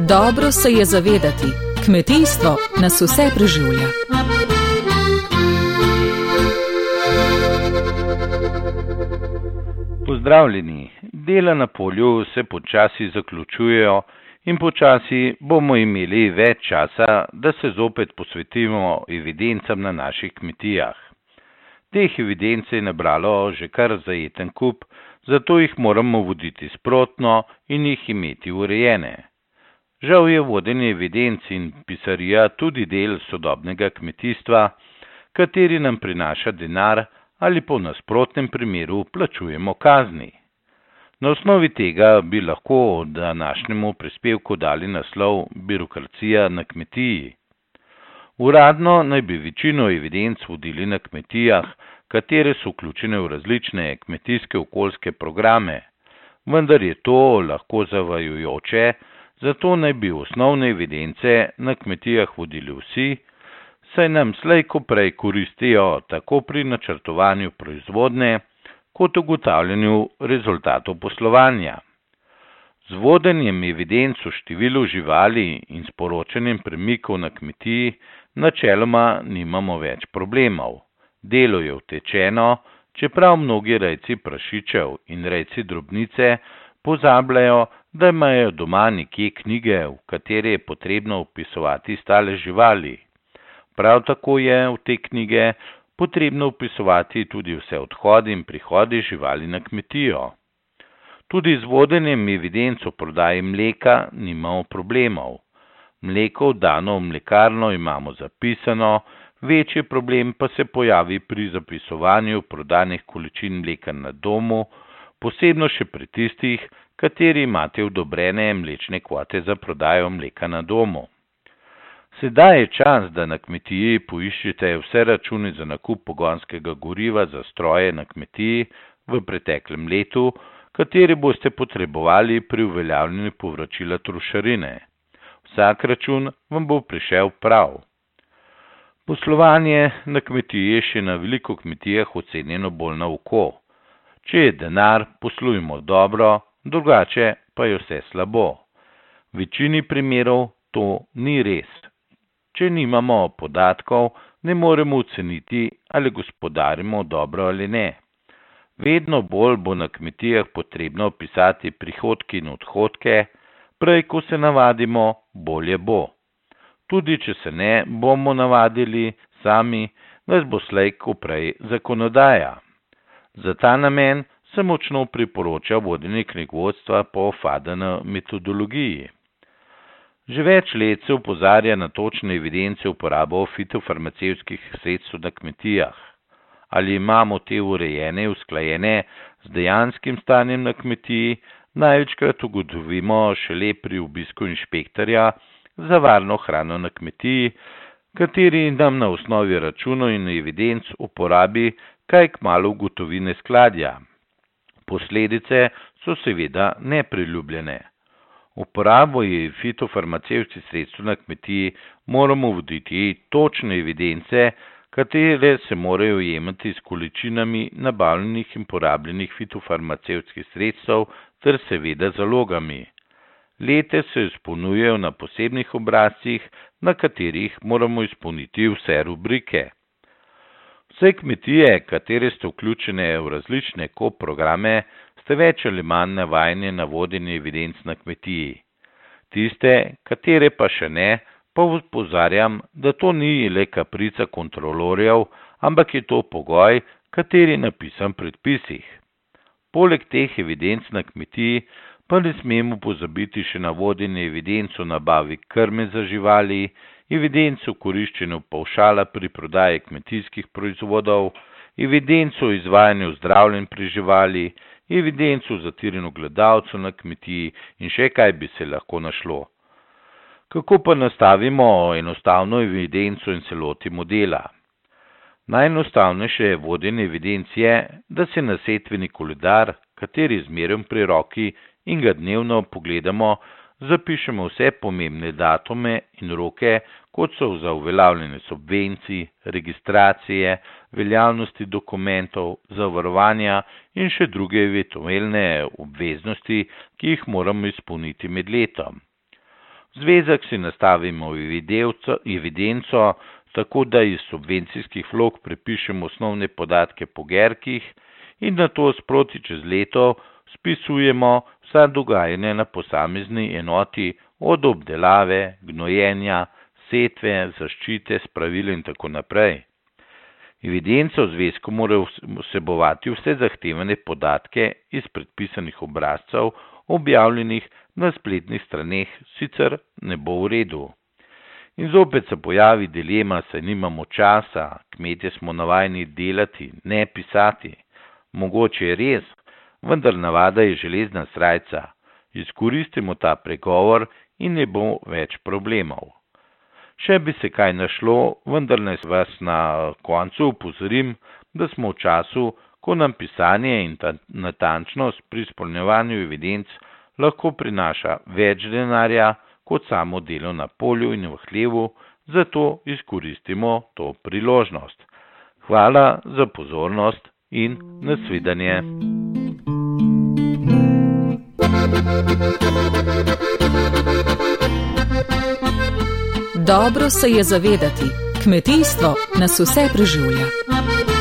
Dobro se je zavedati, kmetijstvo nas vse preživlja. Pozdravljeni, dela na polju se počasi zaključujejo in počasi bomo imeli več časa, da se zopet posvetimo evidencam na naših kmetijah. Teh evidenc je nabralo že kar zajeten kup, zato jih moramo voditi sprotno in jih imeti urejene. Žal je vodenje evidenc in pisarija tudi del sodobnega kmetijstva, kateri nam prinaša denar ali po nasprotnem primeru plačujemo kazni. Na osnovi tega bi lahko današnjemu prispevku dali naslov Birokracija na kmetiji. Uradno naj bi večino evidenc vodili na kmetijah, katere so vključene v različne kmetijske okoljske programe, vendar je to lahko zavajajoče, zato naj bi osnovne evidence na kmetijah vodili vsi, saj nam slej ko prej koristijo tako pri načrtovanju proizvodnje, kot ugotavljanju rezultatov poslovanja. Z vodenjem evidenc o številu živali in sporočanjem premikov na kmetiji načeloma nimamo več problemov. Delo je utečeno, čeprav mnogi rejci prašičev in rejci drobnice pozabljajo, da imajo doma nekje knjige, v katere je potrebno vpisovati stale živali. Prav tako je v te knjige potrebno vpisovati tudi vse odhodi in prihodi živali na kmetijo. Tudi z vodenjem evidenc o prodaji mleka nimamo problemov. Mleko dano v mlekarno imamo zapisano, večji problem pa se pojavi pri zapisovanju prodanih količin mleka na domu, posebno še pri tistih, kateri imate odobrene mlečne kvote za prodajo mleka na domu. Sedaj je čas, da na kmetiji poiščete vse račune za nakup pogonskega goriva za stroje na kmetiji v preteklem letu, kateri boste potrebovali pri uveljavljanju povračila trošarine. Vsak račun vam bo prišel prav. Poslovanje na kmetiji je še na veliko kmetijah ocenjeno bolj na oko. Če je denar, poslujemo dobro, drugače pa je vse slabo. V večini primerov to ni res. Če nimamo podatkov, ne moremo oceniti, ali gospodarimo dobro ali ne. Vedno bolj bo na kmetijah potrebno pisati prihodke in odhodke, prej ko se navadimo, bolje bo. Tudi če se ne bomo navadili sami, nas bo slej ko prej zakonodaja. Za ta namen se močno priporoča vodenje knjigovodstva po FADN metodologiji. Že več let se opozarja na točne evidence uporabo fitofarmacevtskih sredstev na kmetijah. Ali imamo te urejene, usklajene z dejanskim stanjem na kmetiji, največkrat ugotovimo šele pri obisku inšpektorja za varno hrano na kmetiji, kateri nam na osnovi računov in evidenc uporabi kaj kmalu ugotovi neskladja. Posledice so seveda nepriljubljene. Uporabo fitofarmacevtskih sredstev na kmetiji moramo voditi točne evidence, katere se morajo jemati s količinami nabavljenih in porabljenih fitofarmacevtskih sredstev ter seveda zalogami. Lete se izpolnjujejo na posebnih obrazcih, na katerih moramo izpolniti vse rubrike. Vse kmetije, katere ste vključene v različne programe, ste več ali manj navajeni na vodenje evidenc na kmetiji. Tiste, katere pa še ne, pa opozarjam, da to ni le kaprica kontrolorjev, ampak je to pogoj, kateri je napisan v predpisih. Poleg teh evidenc na kmetiji pa ne smemo pozabiti še na vodenje evidenc o nabavi krme za živali, evidenc o koriščenju pavšala pri prodaji kmetijskih proizvodov, evidenc o izvajanju zdravljenj pri živali, evidenc o zatiranju gledalcev na kmetiji in še kaj bi se lahko našlo. Kako pa nastavimo enostavno evidenco in se lotimo dela? Najenostavnejše vodenje evidenc je, da se na setveni koledar, kateri zmerjam pri roki in ga dnevno pogledamo, zapišemo vse pomembne datume in roke, kot so za uveljavljanje subvencij, registracije, veljavnosti dokumentov, zavarovanja in še druge eventualne obveznosti, ki jih moramo izpolniti med letom. Zvezek si nastavimo evidenco, tako da iz subvencijskih vlog prepišemo osnovne podatke po gerkih in nato sproti čez leto spisujemo vsa dogajanja na posamezni enoti od obdelave, gnojenja, setve, zaščite, spravil in tako naprej. Evidenca v zvezku mora vsebovati vse zahtevane podatke iz predpisanih obrazcev, objavljenih na spletnih straneh, sicer ne bo v redu. In zopet se pojavi dilema, saj nimamo časa, kmetje smo navajeni delati, ne pisati. Mogoče je res, vendar navada je železna srajca. Izkoristimo ta pregovor in ne bo več problemov. Še bi se kaj našlo, vendar naj vas na koncu upozorim, da smo v času, ko nam pisanje in natančnost pri izpolnjevanju evidenc lahko prinaša več denarja kot samo delo na polju in v hlevu, zato izkoristimo to priložnost. Hvala za pozornost in nasvidenje. Dobro se je zavedati, kmetijstvo nas vse preživlja.